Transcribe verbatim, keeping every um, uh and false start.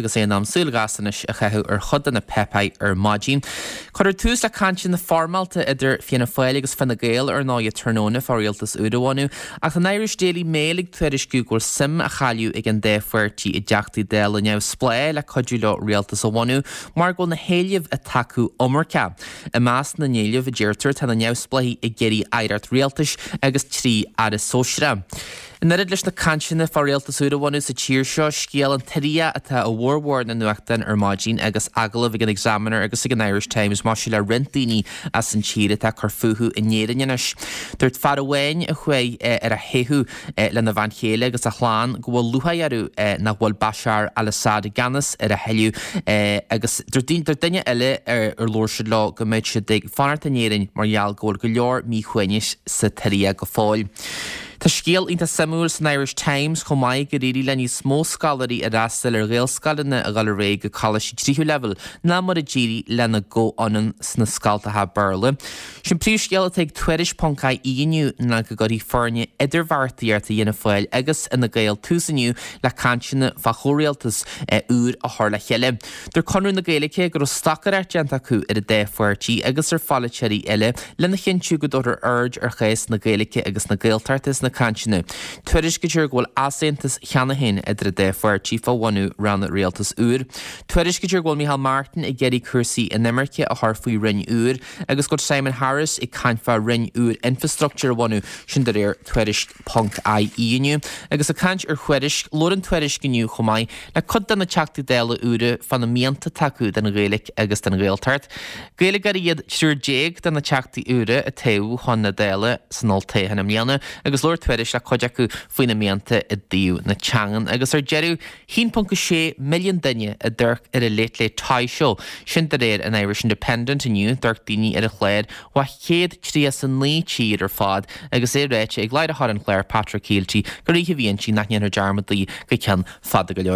Agus é in am súil ghasta anois a chaitheamh ar chuid de na páipéir ar maidin. Cuirfear tús le cainteanna foirmeálta idir Fianna Fáil agus Fine Gael ar ndóigh tráthnóna fá rialtas úr a bhunú, ach an Irish Daily Mail ag tuairisciú go bhfuil suim á chailleadh ag an dá pháirtí i dTeachtaí Dála neamhspleách le cuidiú leo rialtas a bhunú mar go bhfuil na héilimh atá acu iomarcach. I measc na n-éileamh a deirtear tá na neamhspleáigh ag iarraidh aireacht rialtais agus trí aire sóisearach. In oiread leis na cainteanna fá rialtas úr a bhunú sa tír seo, scéal an tSiria atá i bhformhór na nuachtán ar maidin agus agallamh ag an Examiner agus ag an Irish Times maidir le roinnt daoine as an tír atá ag cur fúthu in Éirinn anois. Dúirt fear amháin a chuaigh ar a theitheadh lena bhean chéile agus a chlann go bhfuil lúcháir orthu nach bhfuil Bashar al-Assad i gceannas ar a thuilleadh agus dúirt duine eile ar labhair siad leo go mbeidh siad ag fanacht in Éirinn mar gheall go bhfuil go leor míshuaimhnis sa tSiria go fóill. Tá scéal iontach suimiúil san Irish Times chomh maith gur éirigh le níos mó scoláirí a d'fhreastail ar Ghaelscoileanna a dhul ar aghaidh go coláistí tríú leibhéal ná mar a d'éirigh lena gcomhionann sna scoltacha Béarla. Sin príomhscéal atá ag Tuairisc ponc ie inniu ná go gcuirfidh foirne idirbheartaíochta Fhianna Fáil agus Fhine Gael tús inniu le cainteanna fá chomhrialtas úr a chur le chéile. Dúirt Conradh na Gaeilge go raibh stocaireacht déanta acu ar an dá pháirtí agus ar pholaiteoirí eile lena chinntiú go dtabharfar aird ar chás na Gaeilge agus na Gaeltachta sna cainteanna. Tuairiscítear go bhfuil easaontas cheana féin idir an dá pháirtí fá bhunú ranna rialtais úr. Tuairiscítear go bhfuil Micheál Martin ag iarraidh cúrsaí inimirce a chur faoi roinn úr agus go bhfuil Simon Harris ag caint fá roinn úr infrastructúir a bhunú, sin de réir Tuairisc ponc ie inniu. Agus ag caint ar Thuairisc, labhair an Tuairisc inniu chomh maith le cuid de na Teachtaí Dála úra fá na mianta atá acu don Ghaeilge agus don Ghaeltacht. Gaeilgeoirí iad triúr déag de na Teachtaí úra a toghadh chun na Dála san olltoghchán i mbliana agus labhair Tuairisc le cuid acu faoina mianta i dtaobh na teangan. Agus ar deireadh, haon ponc a sé milliún duine a d'amharc ar an Late Late Toy Show, sin de réir an Irish Independent inniu, d'amharc daoine ar an chlár ó chéad tríocha is a naoi tír ar fad agus é ráite ag láithreoir an chláir Patrick Kielty gur oíche a bhí inti nach ndéanfar dearmad di go ceann fada go leor.